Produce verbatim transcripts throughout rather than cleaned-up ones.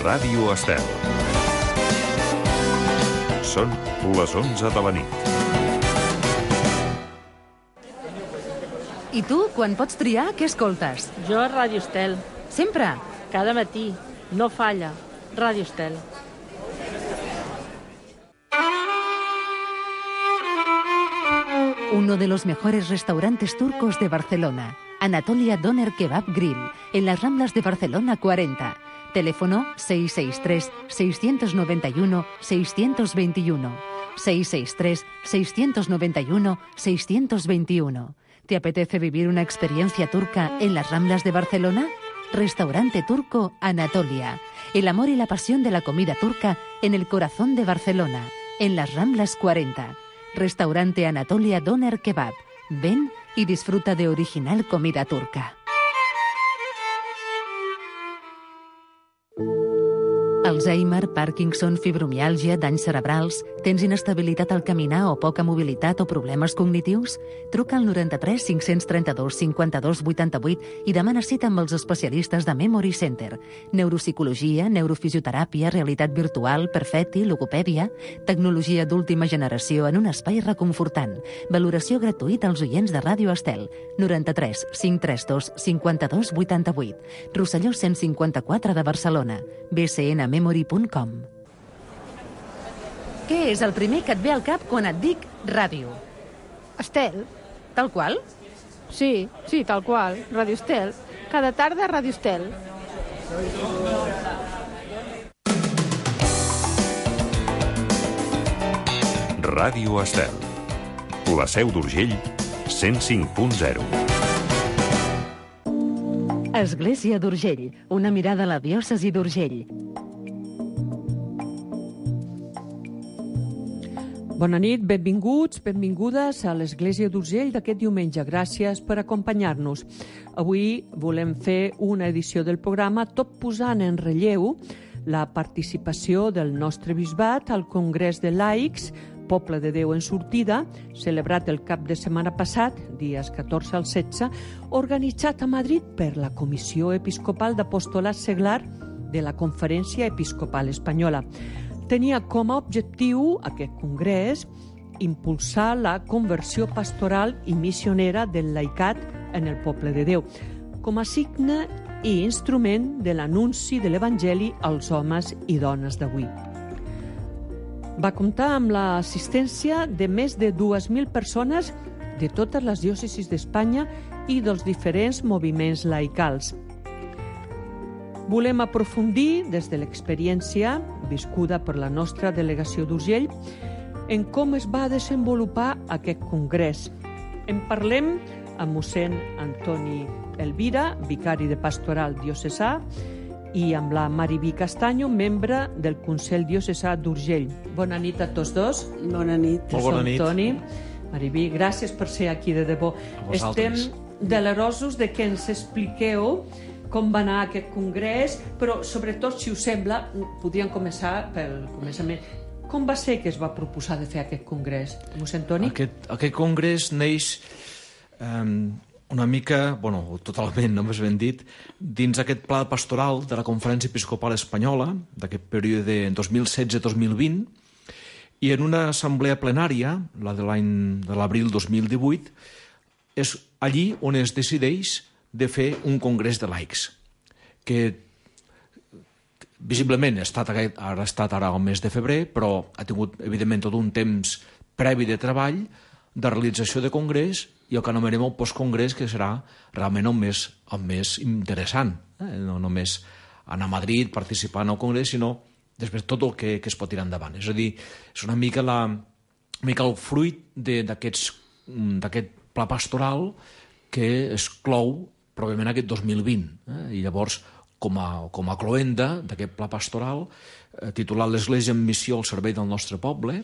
Ràdio Estel. Són les onze de la nit. I tu, quan pots triar, què escoltes? Jo a Ràdio Estel. Sempre? Cada matí. No falla. Ràdio Estel. Uno de los mejores restaurantes turcos de Barcelona. Anatolia Doner Kebab Grill, en las Ramblas de Barcelona cuarenta. Teléfono seis seis tres, seis nueve uno, seis dos uno. seis seis tres, seis nueve uno, seis dos uno. ¿Te apetece vivir una experiencia turca en las Ramblas de Barcelona? Restaurante turco Anatolia. El amor y la pasión de la comida turca en el corazón de Barcelona, en las Ramblas cuarenta. Restaurante Anatolia Doner Kebab. Ven y disfruta de original comida turca. Alzheimer, Parkinson, fibromiàlgia, danys cerebrals... Tens inestabilitat al caminar o poca mobilitat o problemes cognitius? Truca al noranta-tres cinc-cents trenta-dos cinquanta-dos vuitanta-vuit i demana cita amb els especialistes de Memory Center. Neuropsicologia, neurofisioteràpia, realitat virtual, perfecti, logopèdia... Tecnologia d'última generació en un espai reconfortant. Valoració gratuïta als oients de Ràdio Estel. noranta-tres cinc trenta dos cinquanta-dos vuitanta-vuit. Rosselló cent cinquanta-quatre de Barcelona. b c n memory punt com. Què és el primer que et ve al cap quan et dic ràdio? Estel. Tal qual? Sí, sí, tal qual. Ràdio Estel. Cada tarda Ràdio Estel. Ràdio Estel. La Seu d'Urgell, cent cinc punt zero. Església d'Urgell, una mirada a la diòcesi d'Urgell. Bona nit, benvinguts, benvingudes a l'Església d'Urgell d'aquest diumenge. Gràcies per acompanyar-nos. Avui volem fer una edició del programa tot posant en relleu la participació del nostre bisbat al Congrés de Laics, Poble de Déu en sortida, celebrat el cap de setmana passat, dies catorze al setze, organitzat a Madrid per la Comissió Episcopal d'Apostolat Seglar de la Conferència Episcopal Espanyola. Tenia com a objectiu aquest congrés impulsar la conversió pastoral i missionera del laicat en el poble de Déu, com a signe i instrument de l'anunci de l'Evangeli als homes i dones d'avui. Va comptar amb l'assistència de més de dues mil persones de totes les diòcesis d'Espanya i dels diferents moviments laicals. Volem aprofundir, des de l'experiència viscuda per la nostra delegació d'Urgell, en com es va desenvolupar aquest congrés. En parlem amb mossèn Antoni Elvira, vicari de pastoral diocesà, i amb la Maribí Castanyo, membre del Consell Diocesà d'Urgell. Bona nit a tots dos. Bona nit. Molt bona nit. Toni, Maribí, gràcies per ser aquí de debò. Estem delerosos de que ens expliqueu com va anar aquest congrés, però sobretot, si us sembla, podríem començar pel començament. Com va ser que es va proposar de fer aquest congrés, mossèn Toni? Aquest, aquest congrés neix um, una mica, bueno, totalment, no més ben dit, dins aquest pla pastoral de la Conferència Episcopal Espanyola, d'aquest període dos mil setze dos mil vint, i en una assemblea plenària, la de l'any de l'abril dos mil divuit, és allí on es decideix de fer un congrés de laics, que visiblement ha estat, ha estat ara al mes de febrer, però ha tingut, evidentment, tot un temps previ de treball, de realització de congrés, i el que anomenem el postcongrés, que serà realment el més, el més interessant. Eh? No només anar a Madrid, participar en el congrés, sinó després tot el que, que es pot tirar endavant. És a dir, és una mica, la, una mica el fruit d'aquest pla pastoral que es clou probablement aquest dos mil vint. Eh? I llavors, com a, com a cloenda d'aquest pla pastoral, eh, titulat l'Església en missió al servei del nostre poble,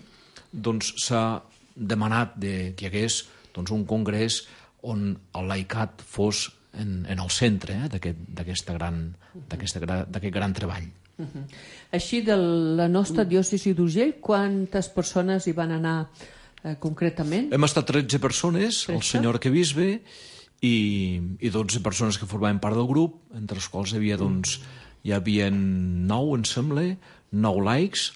doncs s'ha demanat de, que hi hagués doncs, un congrés on el laicat fos en, en el centre eh, d'aquest gran, d'aquest gran treball. Uh-huh. Així, de la nostra diòcesi d'Urgell, quantes persones hi van anar eh, concretament? Hem estat tretze persones, tretze? El senyor arquebisbe, i, i dotze persones que formaven part del grup, entre els quals hi havia doncs, hi havia nou, em sembla, nou laics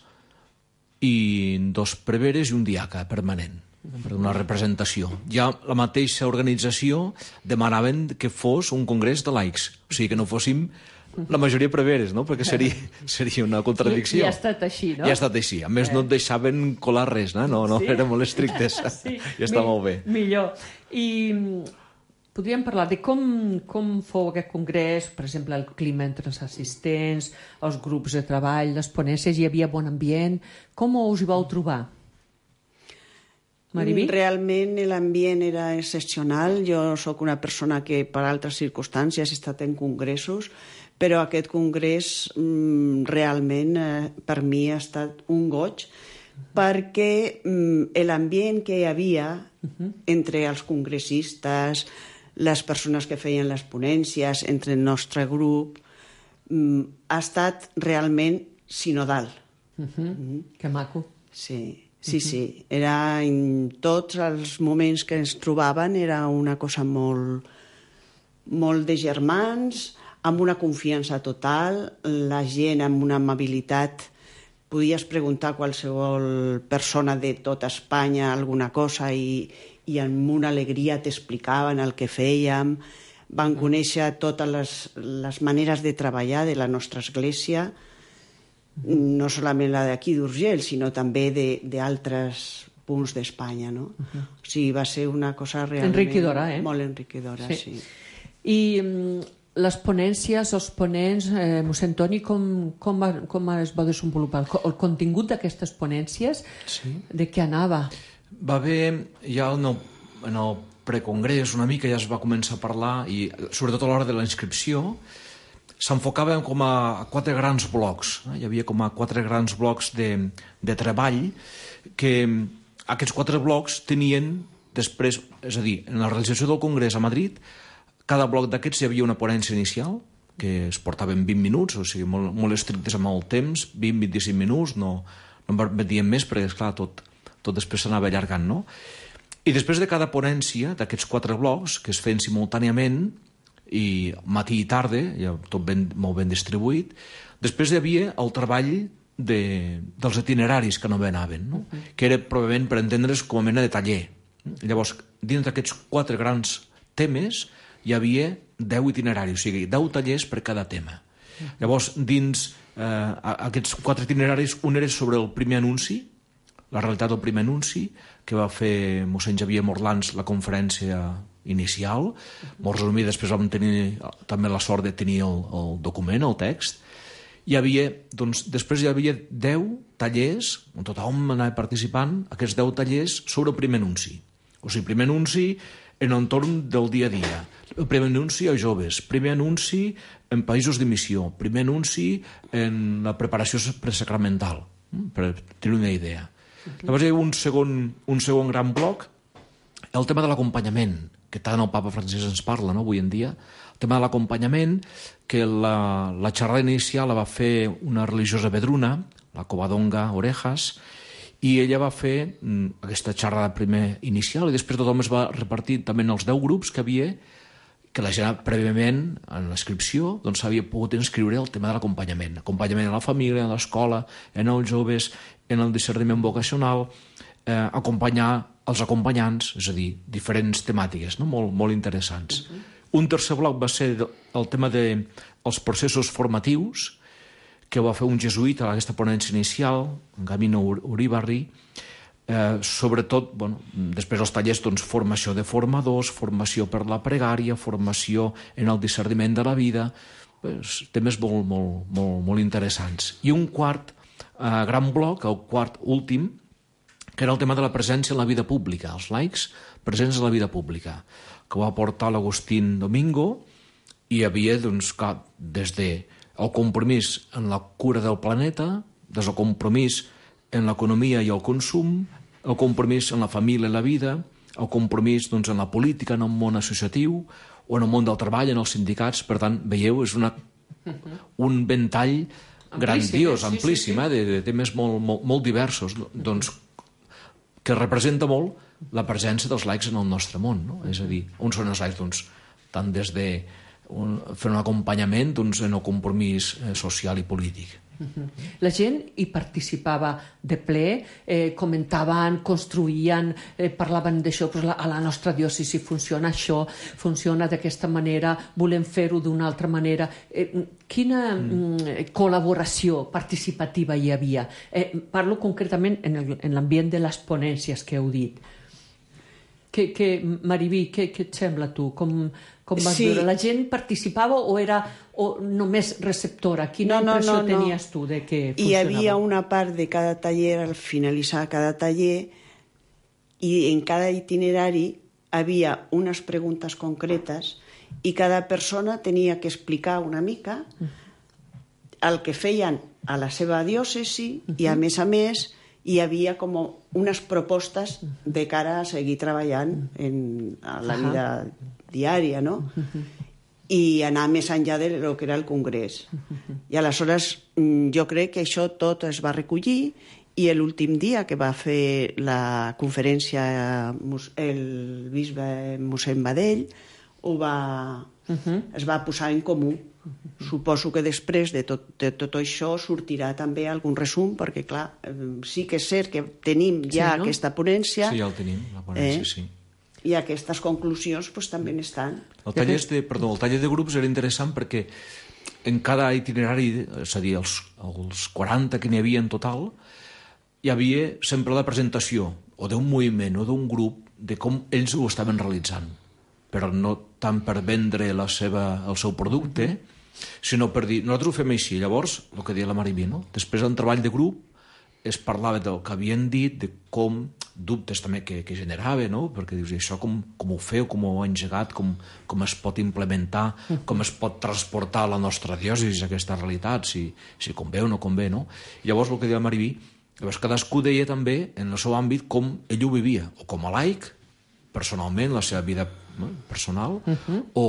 i dos preveres i un diaca permanent per una representació. Ja la mateixa organització demanaven que fos un congrés de laics, o sigui que no fóssim la majoria preveres, no? Perquè seria, seria una contradicció. I, i ha estat així, no? I ha estat així. A més, eh. no et deixaven colar res, no? No, no, sí? Eren molt estrictes. Sí. I està Mi, molt bé. Millor. I podríem parlar de com, com fou aquest congrés, per exemple, el clima entre els assistents, els grups de treball, les ponències, hi havia bon ambient. Com us hi vau trobar? Mariví? Realment l'ambient era excepcional. Jo sóc una persona que per altres circumstàncies he estat en congressos, però aquest congrés mm, realment eh, per mi ha estat un goig, perquè mm, l'ambient que hi havia uh-huh. entre els congressistes, les persones que feien les ponències, entre el nostre grup, mm, ha estat realment sinodal. Uh-huh. Mm. Que maco. Sí. Sí, sí, era en tots els moments que ens trobaven era una cosa molt, molt de germans, amb una confiança total, la gent amb una amabilitat, podies preguntar a qualsevol persona de tota Espanya alguna cosa i, i amb una alegria t'explicaven el que fèiem, van conèixer totes les, les maneres de treballar de la nostra església, no solament la d'aquí d'Urgell, sinó també d'altres punts d'Espanya, no? Uh-huh. O sigui, va ser una cosa realment... Enriquidora, eh? Molt enriquidora, sí. sí. I um, les ponències, els ponents, eh, mossèn Toni, com, com, va, com es va desenvolupar? El, el contingut d'aquestes ponències, sí. De què anava? Va haver, ja en el, en el precongrés, una mica ja es va començar a parlar, i sobretot a l'hora de la inscripció, s'enfocaven com a quatre grans blocs. Hi havia com a quatre grans blocs de, de treball que aquests quatre blocs tenien després, és a dir, en la realització del Congrés a Madrid, cada bloc d'aquests hi havia una ponència inicial que es portaven vint minuts, o sigui, molt, molt estrictes amb el temps, vint a vint-i-cinc minuts, no, no en permetien més perquè, esclar, tot, tot després s'anava allargant, no? I després de cada ponència, d'aquests quatre blocs, que es feien simultàniament, i matí i tarda, ja tot ben, molt ben distribuït. Després hi havia el treball de, dels itineraris que no anaven, no? Uh-huh. Que era probablement per entendre's com a mena de taller. Llavors, dins d'aquests quatre grans temes hi havia deu itineraris, o sigui, deu tallers per cada tema. Uh-huh. Llavors, dins eh, aquests quatre itineraris, un era sobre el primer anunci, la realitat del primer anunci, que va fer mossèn Xavier Morlans la conferència inicial, molt resumida. Després vam tenir també la sort de tenir el, el document, el text. Hi havia, doncs, després hi havia deu tallers, on tothom anava participant, aquests deu tallers sobre el primer anunci. O sigui, primer anunci en entorn del dia a dia, el primer anunci a joves, primer anunci en països d'emissió, primer anunci en la preparació presacramental, per tenir una idea. Llavors hi havia un segon, un segon gran bloc, el tema de l'acompanyament, que tant el papa Francesc ens parla, no?, avui en dia, el tema de l'acompanyament, que la, la xerrada inicial la va fer una religiosa vedruna, la Covadonga Orejas, i ella va fer mm, aquesta xerrada primer inicial, i després tothom es va repartir també en els deu grups que havia, que la gent prèviament, en l'inscripció, doncs s'havia pogut inscriure el tema de l'acompanyament. Acompanyament a la família, a l'escola, en els joves, en el discerniment vocacional, eh, acompanyar els acompanyants, és a dir, diferents temàtiques, no? molt, molt interessants. Uh-huh. Un tercer bloc va ser el tema dels de processos formatius, que va fer un jesuïta a aquesta ponència inicial, en Gamino Uribarri, eh, sobretot, bueno, després els tallers, doncs, formació de formadors, formació per la pregària, formació en el discerniment de la vida, pues, temes molt, molt, molt, molt interessants. I un quart eh, gran bloc, el quart últim, que era el tema de la presència en la vida pública, els laics presents en la vida pública, que va portar l'Agustín Domingo, i hi havia, doncs, clar, des de el compromís en la cura del planeta, des del compromís en l'economia i el consum, el compromís en la família i la vida, el compromís, doncs, en la política, en el món associatiu, o en el món del treball, en els sindicats. Per tant, veieu, és una, un ventall grandiós, amplíssim, eh, de, de temes molt, molt, molt diversos, doncs, que representa molt la presència dels laics en el nostre món, no? És a dir, on són els laics? Doncs, tant des de un, fer un acompanyament doncs, en el compromís eh, social i polític. La gent hi participava de ple, eh, comentaven, construïen, eh, parlaven d'això, pues, a la nostra diòcesi funciona això, funciona d'aquesta manera, volem fer-ho d'una altra manera. Eh, quina mm. col·laboració participativa hi havia? Eh, parlo concretament en l'ambient de les ponències que heu dit. Que, que, Mariví, què, què et sembla tu? Com, com vas sí. veure? La gent participava o era o només receptora? Quina no, no, impressió no, no. tenies tu de que funcionava? Hi havia una part de cada taller, al finalitzar cada taller, i en cada itinerari havia unes preguntes concretes i cada persona tenia que explicar una mica el que feien a la seva diòcesi uh-huh. i, a més a més, hi havia com unes propostes de cara a seguir treballant en a la vida diària, no? I anar més enllà de lo que era el Congrés. I aleshores jo crec que això tot es va recollir i l'últim dia que va fer la conferència el bisbe mossèn Badell ho va, es va posar en comú. Suposo que després de tot, de tot això sortirà també algun resum, perquè clar, sí que és cert que tenim ja sí, no? aquesta ponència. Sí, ja el tenim, la ponència, eh? sí. I aquestes conclusions pues, també estan. El taller, de, perdó, el taller de grups era interessant perquè en cada itinerari, és a dir, els, els quaranta que n'hi havia en total, hi havia sempre la presentació o d'un moviment o d'un grup de com ells ho estaven realitzant, però no tant per vendre la seva, el seu producte, sinó per dir, nosaltres ho fem així. Llavors, el que deia la Mariví, no? Després del treball de grup es parlava del que havien dit, de com, dubtes també que, que generava, no? Perquè dius, això com, com ho feu, com ho heu engegat, com, com es pot implementar, com es pot transportar a la nostra diòcesi aquesta realitat, si, si convé o no convé, no? I llavors el que deia la Mariví, llavors cadascú deia també en el seu àmbit com ell ho vivia, o com a laic, personalment, la seva vida no? personal, uh-huh. o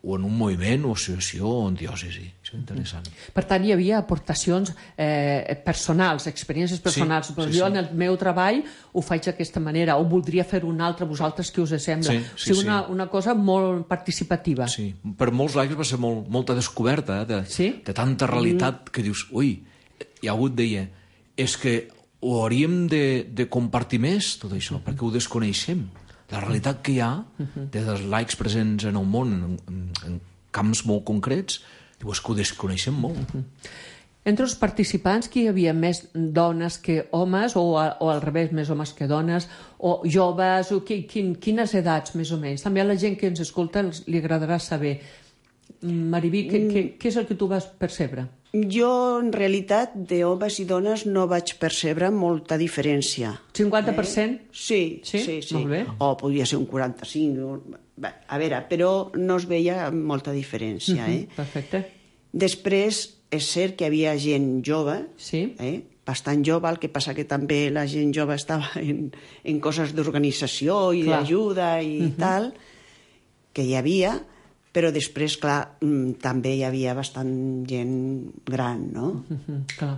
o en un moviment, o associació, o en diòcesi. Això és interessant. Per tant, hi havia aportacions eh, personals, experiències personals. Sí, però sí, jo, sí. en el meu treball, ho faig d'aquesta manera, o voldria fer una altra, vosaltres què us sembla? Sí, sí, o sigui, una, sí. una cosa molt participativa. Sí, per molts laics va ser molt, molta descoberta, eh, de, sí? de tanta realitat mm. que dius, ui, hi ha hagut, deia, és que ho hauríem de, de compartir més, tot això, mm-hmm. perquè ho desconeixem. La realitat que hi ha dels laics presents en el món, en, en, en camps molt concrets, diu, és que ho desconeixem molt. Entre els participants, qui hi havia més dones que homes, o, a, o al revés, més homes que dones, o joves, o qui, quin, quines edats, més o menys? També a la gent que ens escolta li agradarà saber. Mariví, què, què, què és el que tu vas percebre? Jo, en realitat, de homes i dones no vaig percebre molta diferència. cinquanta per cent? Eh? Sí, sí, sí. sí. Molt bé. O podria ser un quaranta-cinc. A veure, però no es veia molta diferència. Uh-huh, eh? Perfecte. Després, és cert que hi havia gent jove, sí. eh? bastant jove, el que passa que també la gent jove estava en, en coses d'organització i d'ajuda i uh-huh. tal, que hi havia... Però després, clar, també hi havia bastant gent gran, no? Uh-huh, clar.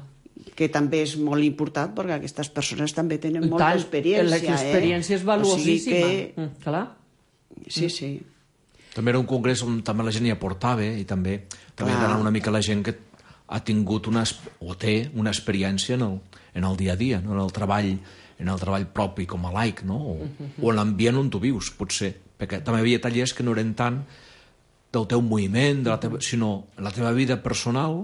Que també és molt important perquè aquestes persones també tenen molta tant, experiència. L'experiència eh? és valuosíssima. O sigui que... mm, clar. Sí, sí. També era un congrés on també la gent hi aportava i també, també era una mica la gent que ha tingut una, o té una experiència en el, en el dia a dia, no? en el treball en el treball propi com a laic, no? o, uh-huh. o en l'ambient on tu vius, potser. Perquè també hi havia tallers que no eren tant del teu moviment, de la teva, sinó la teva vida personal,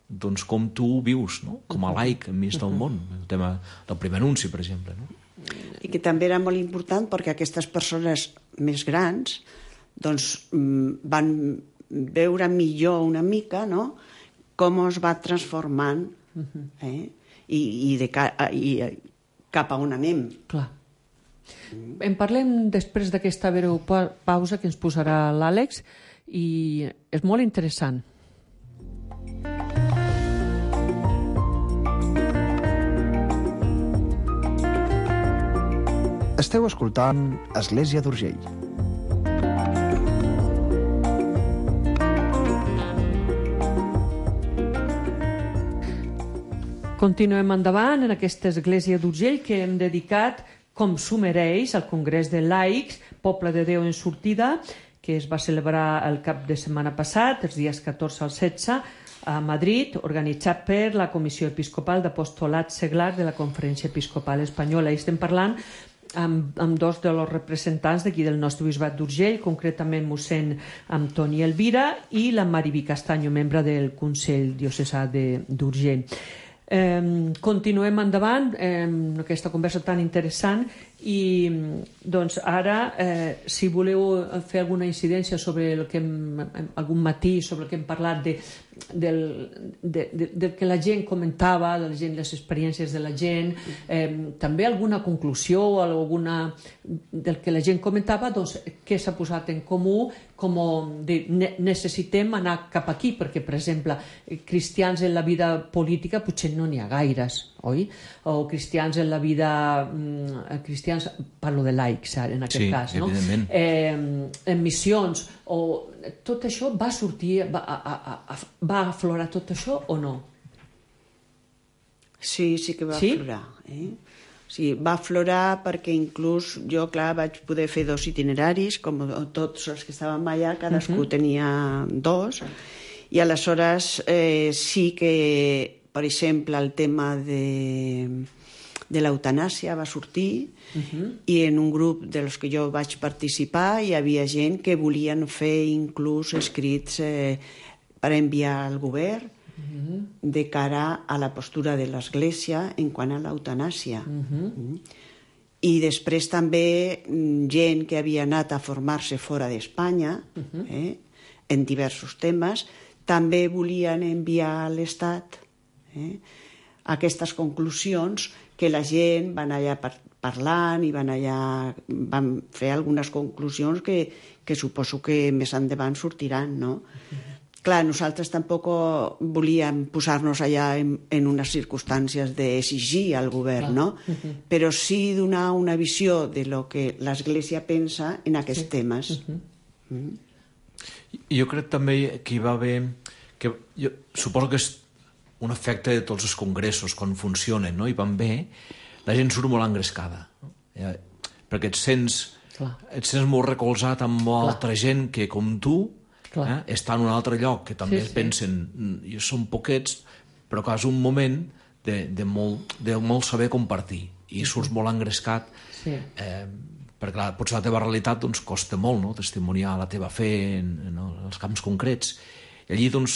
doncs com tu vius, no? com a laic enmig del món. El tema del primer anunci, per exemple. No? I que també era molt important perquè aquestes persones més grans doncs, van veure millor una mica no? com es va transformant eh? I, i, de ca, i cap a on anem. Clar. En parlem després d'aquesta breu pausa que ens posarà l'Àlex, i és molt interessant. Esteu escoltant Església d'Urgell. Continuem endavant en aquesta Església d'Urgell que hem dedicat, com s'ho mereix, al Congrés de Laics, Poble de Déu en sortida, que es va celebrar el cap de setmana passat, els dies catorze al setze, a Madrid, organitzat per la Comissió Episcopal d'Apostolat Seglar de la Conferència Episcopal Espanyola. I estem parlant amb, amb dos dels representants d'aquí del nostre bisbat d'Urgell, concretament mossèn Antoni Elvira i la Mariví Castanyo, membre del Consell Diocesà d'Urgell. Eh, continuem endavant eh, amb aquesta conversa tan interessant i doncs ara eh, si voleu fer alguna incidència sobre el que hem, algun matí sobre el que hem parlat de, del, de, de, de que la gent comentava, de la gent, les experiències de la gent, eh, també alguna conclusió o alguna del que la gent comentava, doncs què s'ha posat en comú, com de, ne, necessitem anar cap aquí, perquè per exemple cristians en la vida política potser no n'hi ha gaires, oi? O cristians en la vida mm, cristians, parlo de laics en aquest sí, cas, no? Eh, en missions, o tot això va sortir, va, a, a, a, va aflorar tot això o no? Sí, sí que va sí? aflorar. Eh? Sí, va aflorar perquè inclús jo, clar, vaig poder fer dos itineraris, com tots els que estàvem allà, cadascú uh-huh. tenia dos, i aleshores eh, sí que, per exemple, el tema de, de l'eutanàsia va sortir, uh-huh. i en un grup dels que jo vaig participar hi havia gent que volien fer inclús escrits eh, per enviar al govern, uh-huh. de cara a la postura de l'Església en quant a l'eutanàsia. Uh-huh. Uh-huh. I després també gent que havia anat a formar-se fora d'Espanya, uh-huh. eh, en diversos temes, també volien enviar a l'Estat eh, aquestes conclusions que la gent van allà par parlant i van allà van fer algunes conclusions que, que suposo que més endavant sortiran, no? Uh-huh. Clar, nosaltres tampoc volíem posar-nos allà en, en unes circumstàncies d'exigir al govern, no? Uh-huh. Però sí donar una visió de lo que l'Església pensa en aquests sí. temes. Uh-huh. uh-huh. Jo crec també que hi va haver... Que jo suposo que és un efecte de tots els congressos, quan funcionen, no? I van bé, la gent surt molt engrescada. No? Ja, perquè et sents, et sents molt recolzat amb molta altra gent que, com tu, Eh? està en un altre lloc, que també sí, sí. pensen i són poquets, però que és un moment de, de, molt, de molt saber compartir i surts molt engrescat sí. eh, perquè clar, potser la teva realitat doncs, costa molt, no? Testimoniar la teva fe en, en els camps concrets i allí doncs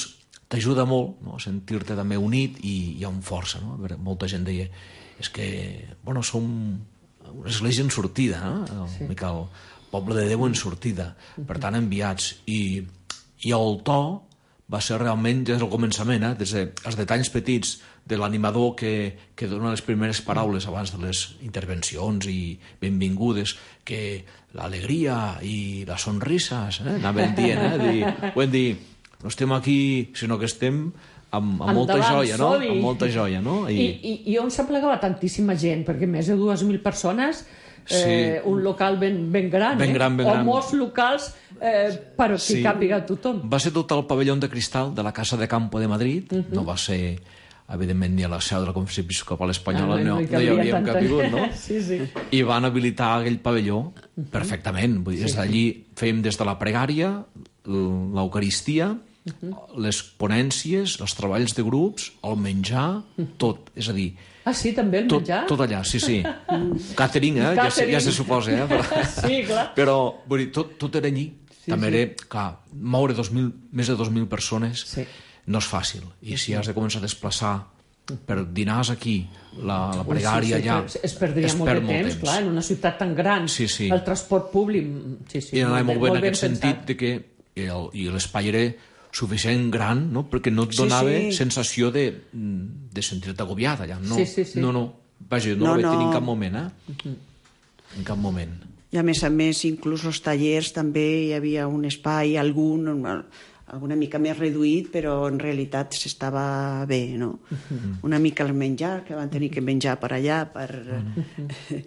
t'ajuda molt, no? A sentir-te també unit i, i amb força, no? Molta gent deia és que, bueno, som una església en sortida, no? Sí. El poble de Déu en sortida, per tant enviats i I el to va ser realment des del començament, eh? Des dels detalls petits de l'animador que, que dona les primeres paraules abans de les intervencions i benvingudes, que l'alegria i les sonrises, eh? Anaven dient, eh? Dir, vull dir, no estem aquí, sinó que estem amb, amb molta joia, no? Amb molta joia, no? I, I, i on s'aplegava tantíssima gent, perquè més de dues mil persones, eh, sí. un local ben, ben gran, ben gran, ben eh? gran. O molts locals eh, però que sí. càpiga tothom. Va ser tot el pavelló de cristal de la Casa de Campo de Madrid, uh-huh. no va ser, evidentment, ni a la seu de la Conferència Episcopal Espanyola, ah, no, no, no hi hauríem capigut, no? sí, sí. I van habilitar aquell pavelló uh-huh. perfectament. Vull dir, des d'allí fèiem des de la pregària, l'Eucaristia, uh-huh. les ponències, els treballs de grups, el menjar, uh-huh. tot. És a dir, ah, sí, també el tot, menjar? Tot allà, sí, sí. Catering, eh? Ja, ja se suposa, eh? Però, sí, clar. Però, vull dir, tot, tot era allí. Sí, també sí. era, clar, moure dos mil, més de dos mil persones sí. no és fàcil. I si has de començar a desplaçar per dinars aquí, la, la pregària sí, sí, allà... Es, es perdria es molt de temps, temps, clar, en una ciutat tan gran. Sí, sí. El transport públic... Sí, sí, I anava molt, molt bé en aquest pensat. sentit de que el, i l'espai era suficient gran, no? Perquè no et donava sí, sí. sensació de, de sentir-te agobiat allà. No, sí, sí, sí. no, no. Vaja, no, no, no. en cap moment, eh? Uh-huh. En cap moment. I a més a més, inclús els tallers també hi havia un espai, algun, alguna mica més reduït, però en realitat s'estava bé, no? Uh-huh. Una mica el menjar, que van tenir que menjar per allà, per... Uh-huh.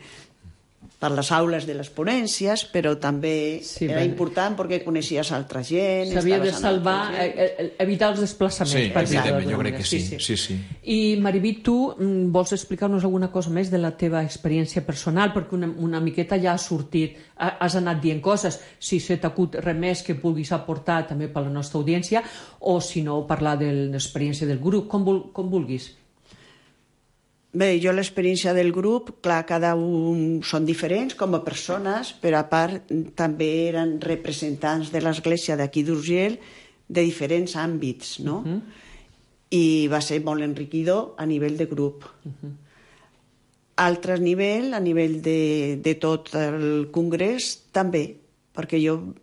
per les aules de les ponències, però també Sí, era bé. important perquè coneixies altra gent. S'havia de estaves amb salvar, altra gent. eh, eh, evitar els desplaçaments. Sí, per dir-ho evidentment, d'alguna jo crec manera. que sí. Sí, sí. I Mariví, tu mm, vols explicar-nos alguna cosa més de la teva experiència personal? Perquè una, una miqueta ja ha sortit, ha- has anat dient coses. Si se t'acut res més que vulguis aportar també per la nostra audiència, o si no, parlar de l'experiència del grup, com, vul, com vulguis. Bé, jo l'experiència del grup, clar, cada un són diferents com a persones, però a part també eren representants de l'Església d'aquí d'Urgell de diferents àmbits, no? Uh -huh. I va ser molt enriquidor a nivell de grup. Uh -huh. Altre nivell, a nivell de, de tot el congrés, també, perquè jo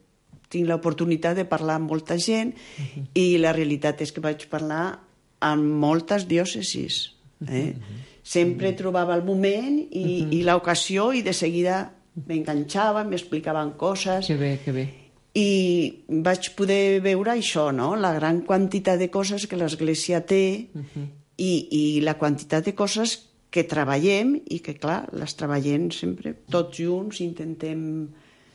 tinc l'oportunitat de parlar amb molta gent uh -huh. i la realitat és que vaig parlar amb moltes diòcesis, eh? Uh -huh. Sempre trobava el moment i, uh -huh. i l'ocasió i de seguida m'enganxava, m'explicaven coses. Que bé, que bé. I vaig poder veure això, no? La gran quantitat de coses que l'Església té uh -huh. i, i la quantitat de coses que treballem i que, clar, les treballem sempre tots junts, intentem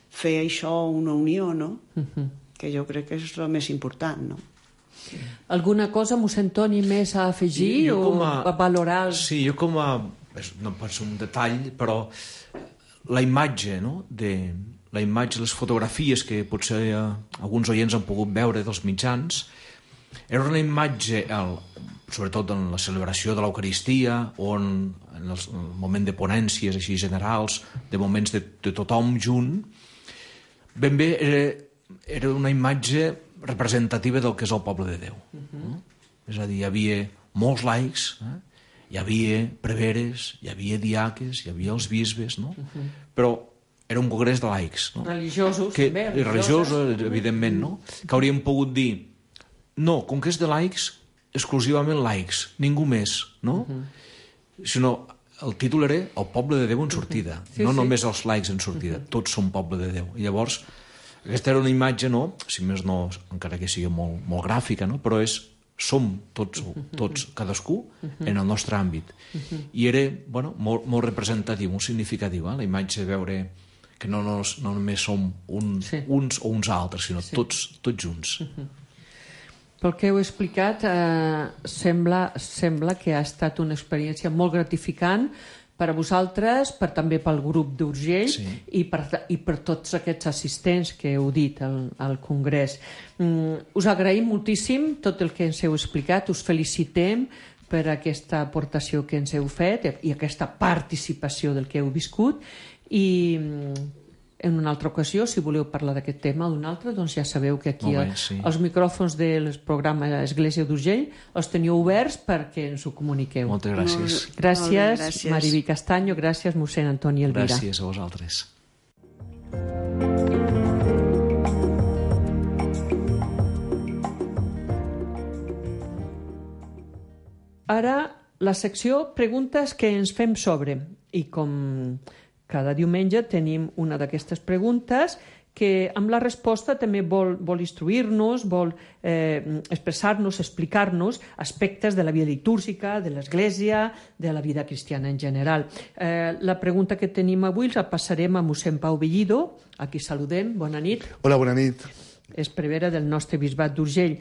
fer això una unió, no? Uh -huh. Que jo crec que és el més important, no? Alguna cosa, mossèn Toni, més a afegir Jo o com a- a valorar? Sí, jo com a... és- no pot ser un detall, però la imatge, no?, de la imatge, les fotografies que potser eh, alguns oients han pogut veure dels mitjans, era una imatge, el, sobretot en la celebració de l'Eucaristia o en, en el, en el moment de ponències així generals, de moments de, de tothom junt, ben bé era, era una imatge representativa del que és el poble de Déu. Uh-huh. No? És a dir, hi havia molts laics, eh? Hi havia preveres, hi havia diaques, hi havia els bisbes, no? Uh-huh. Però era un congrés de laics, no? Religiosos, que, també. I religiosos, evidentment, no? Que hauríem pogut dir, no, com que és de laics, exclusivament laics, ningú més, no? Uh-huh. Sinó, el títol era El poble de Déu en sortida, uh-huh. sí, no sí. només els laics en sortida, uh-huh. tots són poble de Déu. I llavors, aquesta era una imatge, no? Si més no, encara que sigui molt, molt gràfica, no? Però és, som tots, tots cadascú, en el nostre àmbit. I era, bueno, molt, molt representatiu, molt significatiu, eh? La imatge de veure que no, no, no només som un, sí. uns o uns altres, sinó sí. tots, tots junts. Pel que heu explicat, eh, sembla, sembla que ha estat una experiència molt gratificant per a vosaltres, per també pel grup d'Urgell sí. i, per, i per tots aquests assistents que heu dit al, al Congrés. Mm, us agraïm moltíssim tot el que ens heu explicat, us felicitem per aquesta aportació que ens heu fet i aquesta participació del que heu viscut i en una altra ocasió, si voleu parlar d'aquest tema o d'un altre, doncs ja sabeu que aquí bé, sí. els micròfons del programa Església d'Urgell els teniu oberts perquè ens ho comuniqueu. Moltes gràcies. Molt, Gràcies, molt bé, gràcies. Mariví Castanyo, gràcies, mossèn Antoni Elvira. Gràcies a vosaltres. Ara, la secció Preguntes que ens fem sobre. I com cada diumenge tenim una d'aquestes preguntes que amb la resposta també vol, vol instruir-nos, vol eh, expressar-nos, explicar-nos aspectes de la vida litúrgica, de l'Església, de la vida cristiana en general. Eh, la pregunta que tenim avui la passarem a mossèn Pau Bellido, a qui saludem. Bona nit. Hola, bona nit. És prevere del nostre bisbat d'Urgell.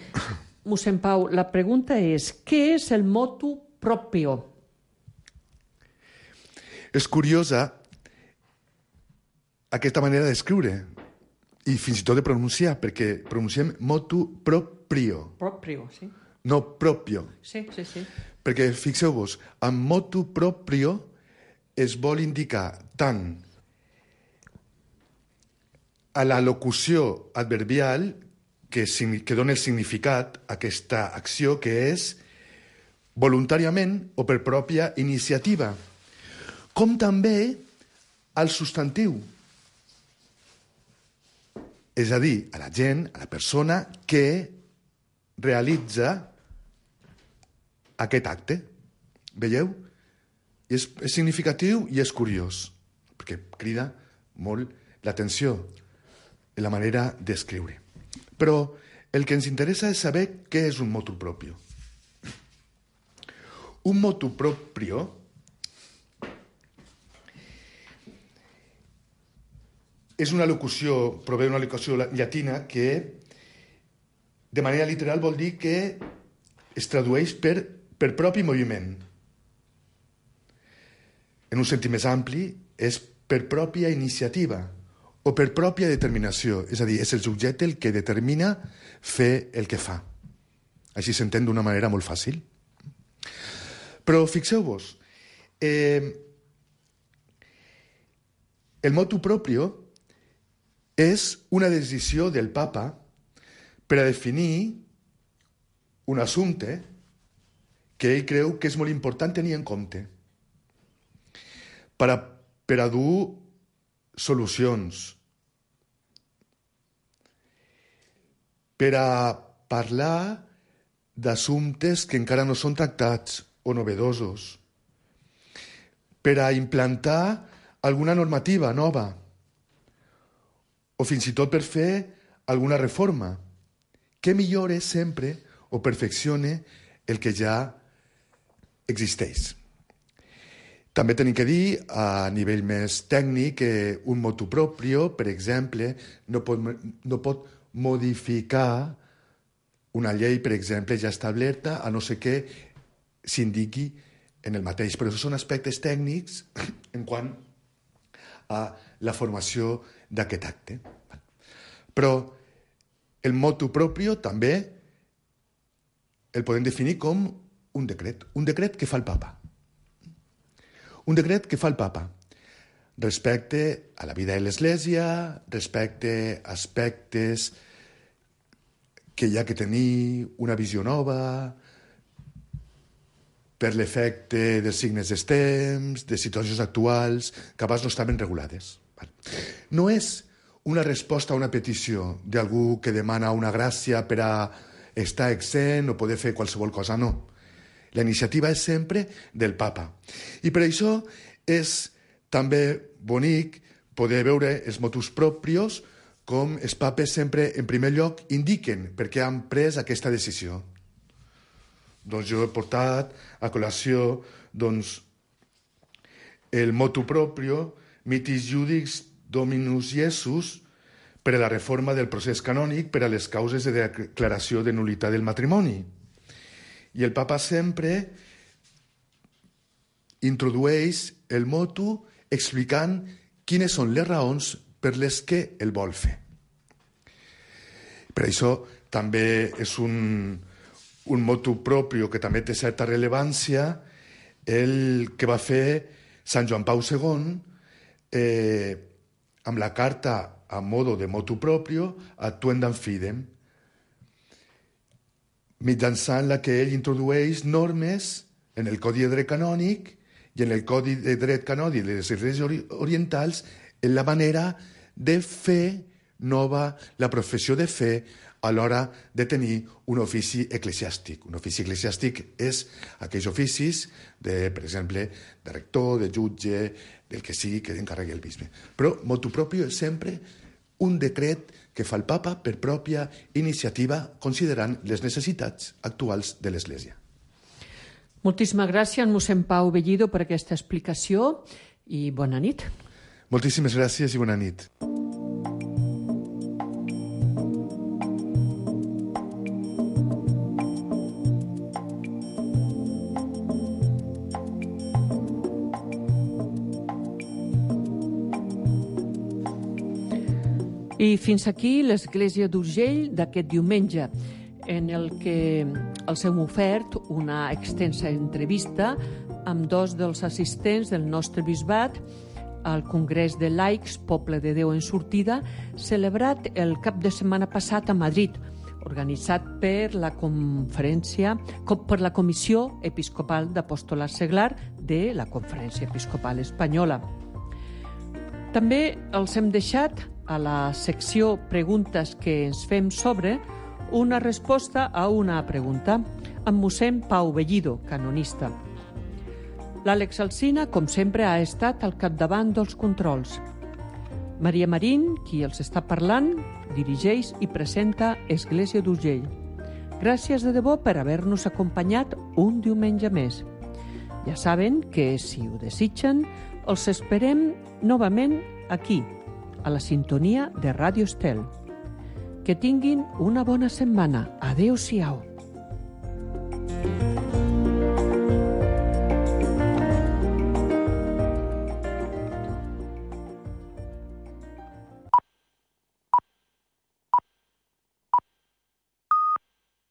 Mossèn Pau, la pregunta és: què és el motu proprio? És curiosa aquesta manera d'escriure i fins i tot de pronunciar, perquè pronunciem motu proprio. Proprio, sí. No propio. Sí, sí, sí. Perquè, fixeu-vos, amb motu proprio es vol indicar tant a la locució adverbial que, que dona el significat a aquesta acció, que és voluntàriament o per pròpia iniciativa, com també al substantiu. És a dir, a la gent, a la persona que realitza aquest acte. Veieu? I és, és significatiu i és curiós, perquè crida molt l'atenció en la manera d'escriure. Però el que ens interessa és saber què és un motu proprio. Un motu proprio és una locució, prové d'una locució llatina que de manera literal vol dir que es tradueix per, per propi moviment. En un sentit més ampli, és per pròpia iniciativa o per pròpia determinació. És a dir, és el subjecte el que determina fer el que fa. Així s'entén d'una manera molt fàcil. Però fixeu-vos, eh, el motu proprio és una decisió del papa per a definir un assumpte que ell creu que és molt important tenir en compte per a, per a dur solucions, per a parlar d'assumptes que encara no són tractats o novedosos, per a implantar alguna normativa nova o fins i tot per fer alguna reforma que millore sempre o perfeccione el que ja existeix. També tenim que dir, a nivell més tècnic, que un motu proprio, per exemple, no pot, no pot modificar una llei, per exemple, ja establerta, a no ser que s'indiqui en el mateix. Però això són aspectes tècnics en quant a la formació d'aquest acte. Però el motu proprio també el podem definir com un decret. Un decret que fa el papa. Un decret que fa el papa respecte a la vida de l'Església, respecte a aspectes que hi ha que tenir una visió nova, per l'efecte dels signes dels temps, de situacions actuals, que abans no estaven regulades. No és una resposta a una petició d'algú que demana una gràcia per a estar exempt o poder fer qualsevol cosa, no. La iniciativa és sempre del papa. I per això és també bonic poder veure els motus proprios com els papes sempre, en primer lloc, indiquen per què han pres aquesta decisió. Doncs jo he portat a col·lació doncs, el motu proprio Mitis Judicis Dominus Iesus per a la reforma del procés canònic per a les causes de declaració de nul·litat del matrimoni. I el papa sempre introdueix el motu explicant quines són les raons per les que el vol fer. Per això també és un, un motu proprio que també té certa rellevància el que va fer Sant Joan Pau segon eh, amb la carta a modo de motu proprio Actuendam Fidem, mitjançant la que ell introdueix normes en el Codi de Dret Canònic i en el Codi de Dret Canònic de les Esglésies Orientals en la manera de fer nova la professió de fe a l'hora de tenir un ofici eclesiàstic. Un ofici eclesiàstic és aquells oficis, de, per exemple, de rector, de jutge, del que sigui que encarregui el bisbe. Però motu proprio és sempre un decret que fa el papa per pròpia iniciativa considerant les necessitats actuals de l'Església. Moltíssimes gràcies, mossèn Pau Bellido, per aquesta explicació i bona nit. Moltíssimes gràcies i bona nit. I fins aquí l'Església d'Urgell d'aquest diumenge, en el que els hem ofert una extensa entrevista amb dos dels assistents del nostre bisbat al Congrés de Laics Poble de Déu en Sortida, celebrat el cap de setmana passat a Madrid, organitzat per la conferència, per la Comissió Episcopal d'Apostolat Seglar de la Conferència Episcopal Espanyola. També els hem deixat a la secció Preguntes que ens fem sobre una resposta a una pregunta amb mossèn Pau Bellido, canonista. L'Àlex Alsina, com sempre, ha estat al capdavant dels controls. Maria Marín, qui els està parlant, dirigeix i presenta Església d'Urgell. Gràcies de debò per haver-nos acompanyat un diumenge més. Ja saben que, si ho desitgen, els esperem novament aquí, a la sintonia de Ràdio Estel. Que tinguin una bona setmana. Adéu-siau.